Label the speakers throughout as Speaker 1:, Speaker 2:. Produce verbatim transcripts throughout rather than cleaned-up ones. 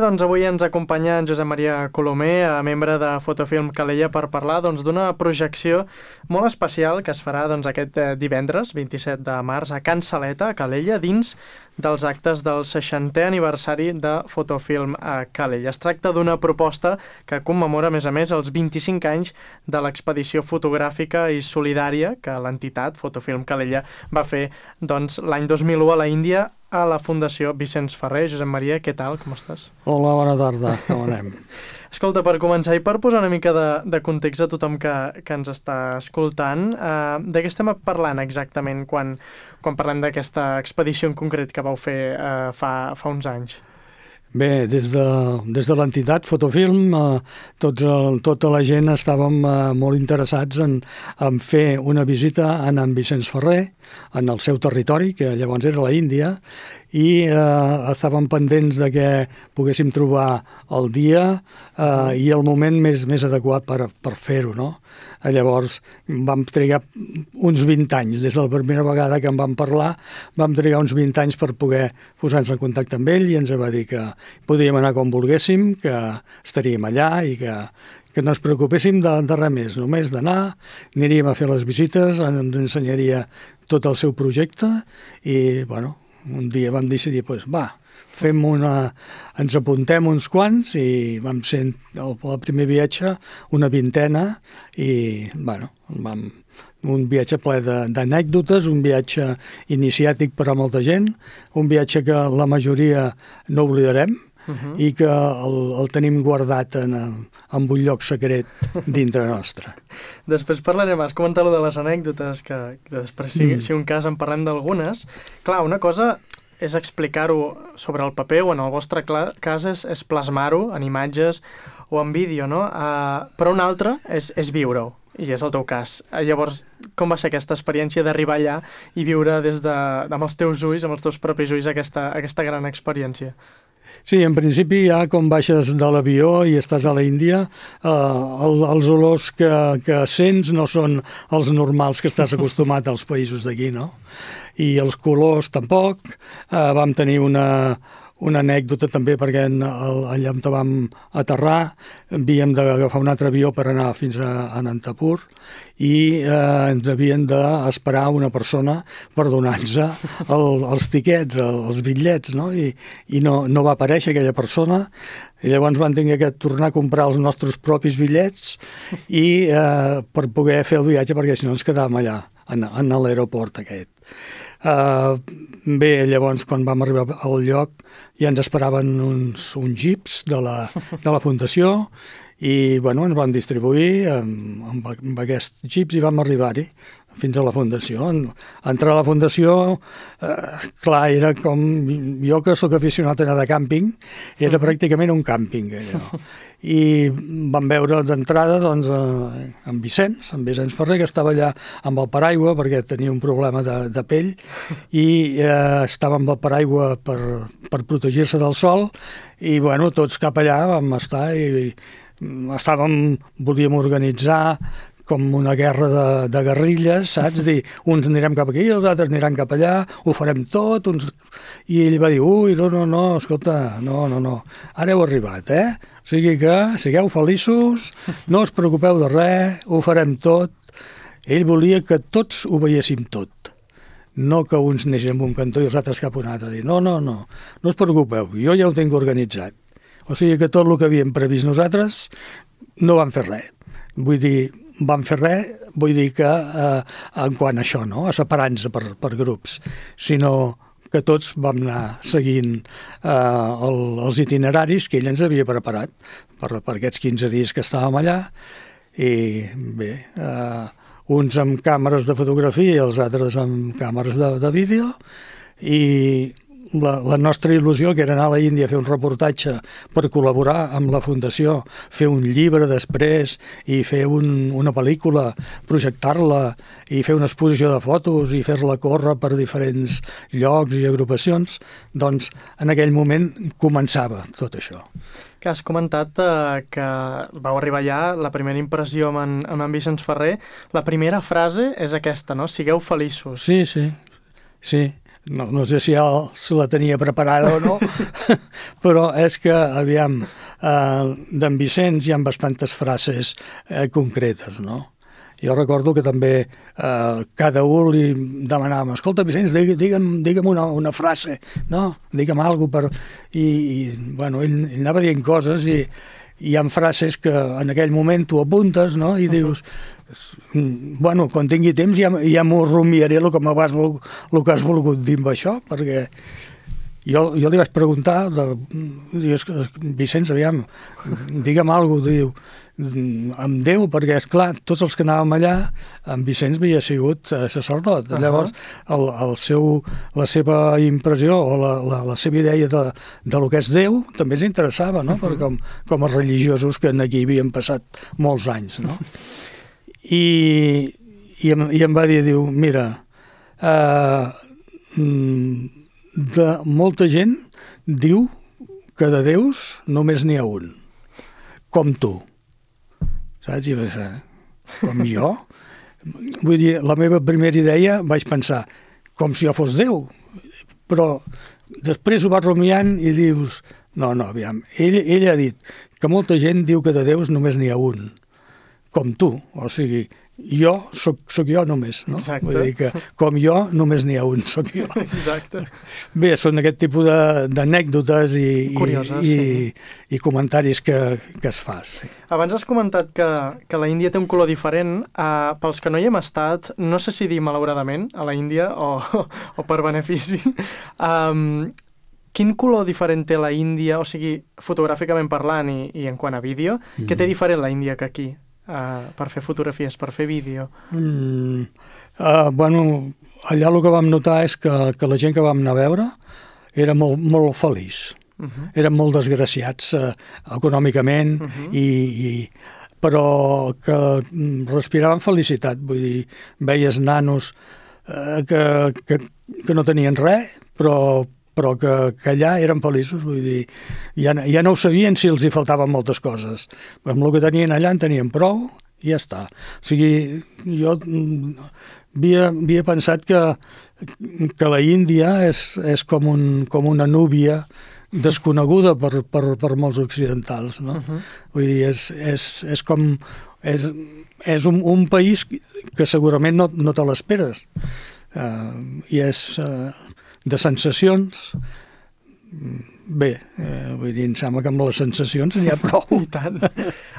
Speaker 1: doncs avui ens acompanya en Josep Maria Colomer, membre de Fotofilm Calella, per parlar doncs, d'una projecció molt especial que es farà doncs, aquest divendres, vint-i-set de març, a Can Saleta, a Calella, dins dels actes del seixantè aniversari de Fotofilm a Calella. Es tracta d'una proposta que commemora, a més a més, els vint-i-cinc anys de l'expedició fotogràfica i solidària que l'entitat Fotofilm Calella va fer doncs, l'any dos mil u a la Índia, a la Fundació Vicenç Ferrer. Josep Maria, què tal? Com estàs?
Speaker 2: Hola, bona tarda. Com anem?
Speaker 1: Escolta, per començar i per posar una mica de, de context a tothom que, que ens està escoltant, eh, de què estem parlant exactament quan, quan parlem d'aquesta expedició en concret que vau fer eh, fa, fa uns anys?
Speaker 2: Bé, des de, des de l'entitat Fotofilm, eh, tots el, tota la gent estàvem eh, molt interessats en, en fer una visita a en Vicenç Ferrer, en el seu territori, que llavors era la Índia, i eh, estàvem pendents de que poguéssim trobar el dia eh, i el moment més, més adequat per, per fer-ho, no? Llavors vam trigar uns vint anys, des de la primera vegada que en vam parlar, vam trigar uns vint anys per poder posar-nos en contacte amb ell, i ens va dir que podíem anar com volguéssim, que estaríem allà i que, que no ens preocupéssim de, de res més, només d'anar, aniríem a fer les visites, ens ensenyaria tot el seu projecte i, bueno, un dia vam decidir, doncs, va, fem una, ens apuntem uns quants i vam ser el, el primer viatge una vintena i, bueno, vam, un viatge ple d'anècdotes, un viatge iniciàtic per a molta gent, un viatge que la majoria no oblidarem, Uh-huh. i que el, el tenim guardat en, en un lloc secret dintre nostre.
Speaker 1: Després parlarem, has comentat allò de les anècdotes, que, que després, si, mm. si un cas en parlem d'algunes. Clar, una cosa és explicar-ho sobre el paper, o en el vostre cas és, és plasmar-ho en imatges o en vídeo, no? Uh, però una altra és, és viure-ho, i és el teu cas. Llavors, com va ser aquesta experiència d'arribar allà i viure des de, amb els teus ulls, amb els teus propis ulls, aquesta, aquesta gran experiència?
Speaker 2: Sí, en principi ja quan baixes de l'avió i estàs a la Índia, eh, el, els olors que, que sents no són els normals que estàs acostumat als països d'aquí, no? I els colors tampoc. Eh, vam tenir una, una anècdota també perquè en, el, allà on vam aterrar havíem d'agafar un altre avió per anar fins a Anantapur i eh, ens havien d'esperar una persona per donar-nos el, els tiquets, el, els bitllets, no? I, i no, no va aparèixer aquella persona, i llavors van tenir que tornar a comprar els nostres propis bitllets i eh, per poder fer el viatge, perquè si no ens quedàvem allà, en, en l'aeroport aquest. Uh, bé, llavors quan vam arribar al lloc ja ens esperaven uns, uns jeeps de la, de la Fundació i bueno, ens vam distribuir amb, amb, amb aquests jeeps i vam arribar-hi fins a la Fundació. En, entrar a la Fundació, eh, clar, era com... Jo que sóc aficionat a anar de càmping, era pràcticament un càmping, allò. I vam veure d'entrada doncs, eh, en Vicenç, en Vicenç Ferrer, que estava allà amb el paraigua perquè tenia un problema de, de pell i eh, estava amb el paraigua per, per protegir-se del sol i bueno, tots cap allà vam estar i, i estàvem, volíem organitzar com una guerra de, de guerrilles, saps? Dir, uns anirem cap aquí, els altres aniran cap allà, ho farem tot, uns... I ell va dir, ui, no, no, no, escolta, no, no, no, ara heu arribat, eh? O sigui que sigueu feliços, no us preocupeu de res, ho farem tot. Ell volia que tots ho veiéssim tot, no que uns anessin en un cantó i els altres cap a un altre. Dir, no, no, no, no us preocupeu, jo ja ho tinc organitzat. O sigui que tot el que havíem previst nosaltres no vam fer res. Vull dir, vam fer res, vull dir que eh, en quant a això, no? A separar-nos per, per grups, sinó que tots vam anar seguint eh, el, els itineraris que ell ens havia preparat per, per aquests quinze dies que estàvem allà i bé, eh, uns amb càmeres de fotografia i els altres amb càmeres de, de vídeo i La, la nostra il·lusió, que era anar a la Índia a fer un reportatge per col·laborar amb la Fundació, fer un llibre després i fer un, una pel·lícula, projectar-la i fer una exposició de fotos i fer-la córrer per diferents llocs i agrupacions, doncs en aquell moment començava tot això.
Speaker 1: Que has comentat eh, que vau arribar allà, la primera impressió amb en, amb en Vicenç Ferrer, la primera frase és aquesta, no? Sigueu feliços.
Speaker 2: Sí, sí, sí. no, no sé si ja se la tenia preparada o no, però és que, aviam, eh, d'en Vicenç hi ha bastantes frases eh, concretes, no? Jo recordo que també eh, cada un li demanàvem, escolta, Vicenç, digue'm, digue'm una, una frase, no? Digue'm alguna cosa per... I, i bueno, ell, ell anava dient coses i hi ha frases que en aquell moment tu apuntes, no? I dius, bueno, quan tingui temps ja, ja m'ho rumiaré el que, vas, el que has volgut dir amb això, perquè jo, jo li vaig preguntar, de, dius, Vicenç, aviam, digue'm alguna cosa, diu, amb Déu, perquè, és clar, tots els que anàvem allà, en Vicenç havia sigut eh, sacerdot. Uh -huh. Llavors, el, el seu, la seva impressió o la, la, la seva idea de, de lo que és Déu també ens interessava, no? Uh -huh. Perquè com, com a religiosos que aquí havien passat molts anys, no? I, i, em, i em va dir, diu, mira, eh, de molta gent diu que de déus només n'hi ha un, com tu. Saps? I vaig dir, com jo? Vull dir, la meva primera idea vaig pensar, com si jo fos Déu. Però després ho vas rumiant i dius, no, no, aviam, ell, ell ha dit que molta gent diu que de déus només n'hi ha un, com tu. O sigui, jo soc, soc jo només, no?
Speaker 1: Exacte.
Speaker 2: Vull dir que com jo només n'hi ha un, soc jo.
Speaker 1: Exacte.
Speaker 2: Bé, són aquest tipus d'anècdotes i,
Speaker 1: Curioses,
Speaker 2: i,
Speaker 1: sí.
Speaker 2: i, i comentaris que, que es fa. Sí.
Speaker 1: Abans has comentat que, que la Índia té un color diferent. Uh, pels que no hi hem estat, no sé si dir malauradament a la Índia o, o per benefici, um, quin color diferent té la Índia, o sigui, fotogràficament parlant i, i en quant a vídeo, mm. què té diferent la Índia que aquí? Uh, per fer fotografies, per fer vídeo?
Speaker 2: Mm, uh, bueno, allà el que vam notar és que, que la gent que vam anar a veure era molt, molt feliç. Uh -huh. Eren molt desgraciats uh, econòmicament, uh -huh. i, i, però que respiraven felicitat. Vull dir, veies nanos uh, que, que, que no tenien res, però però que, que allà eren feliços, vull dir, ja, ja no ho sabien si els hi faltaven moltes coses. Però amb el que tenien allà en tenien prou i ja està. O sigui, jo havia, havia pensat que, que la Índia és, és com, un, com una núvia desconeguda per, per, per molts occidentals, no? Uh-huh. Vull dir, és, és, és com... És, és un, un país que segurament no, no te l'esperes. Uh, I és... Uh, de sensacions, bé, eh, vull dir, em sembla que amb les sensacions n'hi ha prou.
Speaker 1: I tant.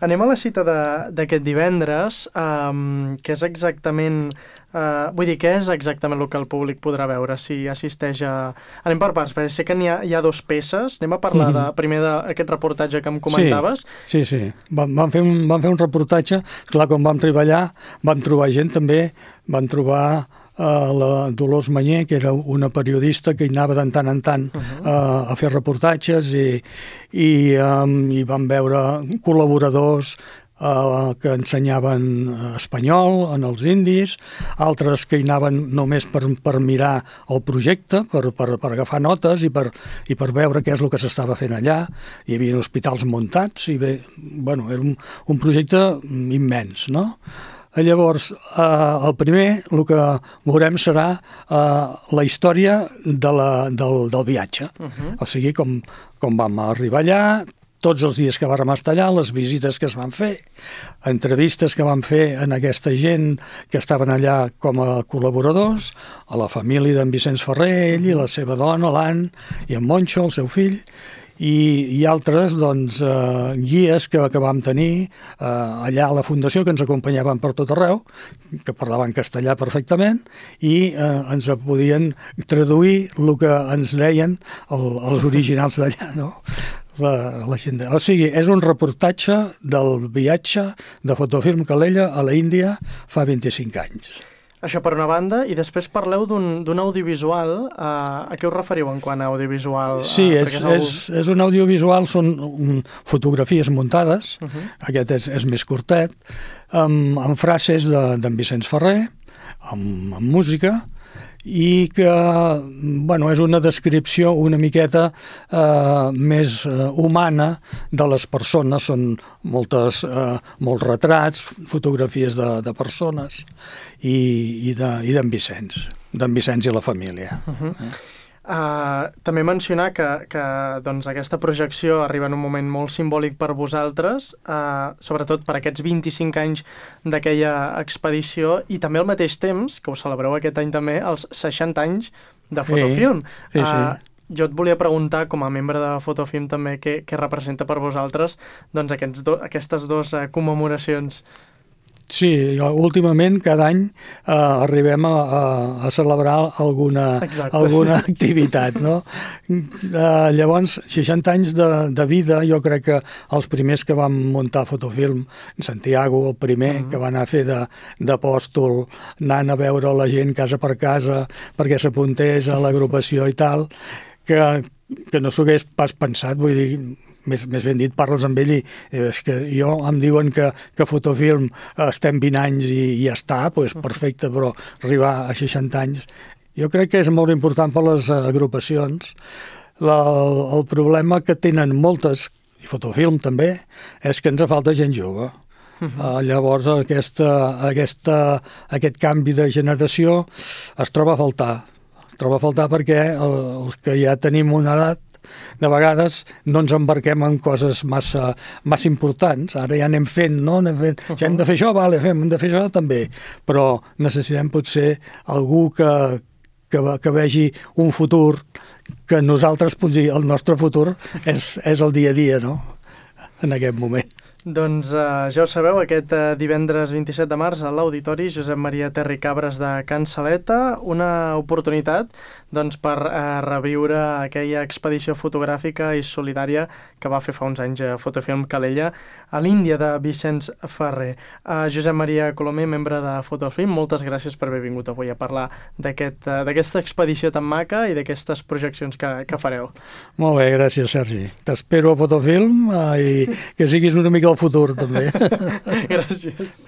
Speaker 1: Anem a la cita d'aquest divendres, um, que és exactament... Uh, vull dir, què és exactament el que el públic podrà veure si assisteix a... Anem per parts, perquè sé que n'hi ha, hi ha dos peces. Anem a parlar de, primer d'aquest reportatge que em comentaves.
Speaker 2: Sí, sí, sí. Vam, vam, fer un, vam fer un reportatge. Clar, quan vam treballar, vam trobar gent també, vam trobar... Uh, la Dolors Mañé, que era una periodista que hi anava de tant en tant uh-huh. uh, a fer reportatges i, i, um, i vam veure col·laboradors uh, que ensenyaven espanyol en els indis, altres que hi anaven només per, per mirar el projecte, per, per, per agafar notes i per, i per veure què és el que s'estava fent allà. Hi havia hospitals muntats i bé, bueno, era un, un projecte immens, no? Llavors, eh, el primer, el que veurem serà eh, la història de la, del, del viatge. Uh-huh. O sigui, com, com vam arribar allà, tots els dies que vam estar allà, les visites que es van fer, entrevistes que vam fer en aquesta gent que estaven allà com a col·laboradors, a la família d'en Vicenç Ferrer, ell i la seva dona, l'Ann, i en Moncho, el seu fill, i, i altres doncs, eh, guies que, que vam tenir eh, allà a la Fundació, que ens acompanyaven per tot arreu, que parlaven castellà perfectament, i eh, ens podien traduir el que ens deien el, els originals d'allà, no? La, la gent. O sigui, és un reportatge del viatge de Fotofilm Calella a la Índia fa vint-i-cinc anys.
Speaker 1: Això per una banda, i després parleu d'un audiovisual. Uh, a què us referiu en quant a audiovisual? Uh,
Speaker 2: sí, és, és, el... és, és un audiovisual, són um, fotografies muntades, uh-huh. Aquest és, és més curtet, amb, amb frases d'en de, Vicenç Ferrer, amb, amb música, i que, bueno, és una descripció una miqueta eh, més eh, humana de les persones. Són moltes, eh, molts retrats, fotografies de, de persones i, i d'en Vicenç. d'en Vicenç i la família.
Speaker 1: Uh-huh. eh? Uh, també mencionar que, que doncs, aquesta projecció arriba en un moment molt simbòlic per vosaltres, uh, sobretot per aquests vint-i-cinc anys d'aquella expedició, i també al mateix temps, que ho celebreu aquest any també, els seixanta anys de Fotofilm.
Speaker 2: Sí, sí, sí.
Speaker 1: Uh, jo et volia preguntar, com a membre de Fotofilm també, què, què representa per vosaltres doncs, aquests do, aquestes dues uh, commemoracions.
Speaker 2: Sí, últimament cada any eh, arribem a, a, a celebrar alguna,
Speaker 1: Exacte,
Speaker 2: alguna
Speaker 1: sí.
Speaker 2: activitat, no? Eh, llavors, seixanta anys de, de vida, jo crec que els primers que vam muntar Fotofilm, Santiago, el primer, uh-huh. que va anar a fer d'apòstol, anant a veure la gent casa per casa perquè s'apuntés a l'agrupació i tal, que, que no s'ho hagués pas pensat, vull dir, més, més ben dit, parles amb ell i és que jo em diuen que, que Fotofilm estem vint anys i, i ja està, doncs perfecte, però arribar a seixanta anys jo crec que és molt important per les agrupacions. La, el problema que tenen moltes, i Fotofilm també, és que ens falta gent jove. Uh-huh. Uh, llavors aquesta, aquesta, aquest canvi de generació es troba a faltar. Es troba a faltar perquè el, els que ja tenim una edat de vegades no ens embarquem en coses massa, massa importants. Ara ja anem fent, no? Anem fent, uh-huh. ja hem de fer això, vale, fem, hem de fer això també. Però necessitem potser algú que, que, que vegi un futur que nosaltres, potser, el nostre futur és, és el dia a dia, no? En aquest moment.
Speaker 1: Doncs uh, ja ho sabeu, aquest uh, divendres vint-i-set de març a l'Auditori Josep Maria Terri Cabres de Can Saleta, una oportunitat doncs, per uh, reviure aquella expedició fotogràfica i solidària que va fer fa uns anys a Fotofilm Calella a l'Índia de Vicenç Ferrer. Uh, Josep Maria Colomer, membre de Fotofilm, moltes gràcies per haver vingut avui a parlar d'aquest, uh, d'aquesta expedició tan maca i d'aquestes projeccions que, que fareu.
Speaker 2: Molt bé, gràcies, Sergi. T'espero a Fotofilm uh, i que siguis una mica el futur, també.
Speaker 1: Gràcies.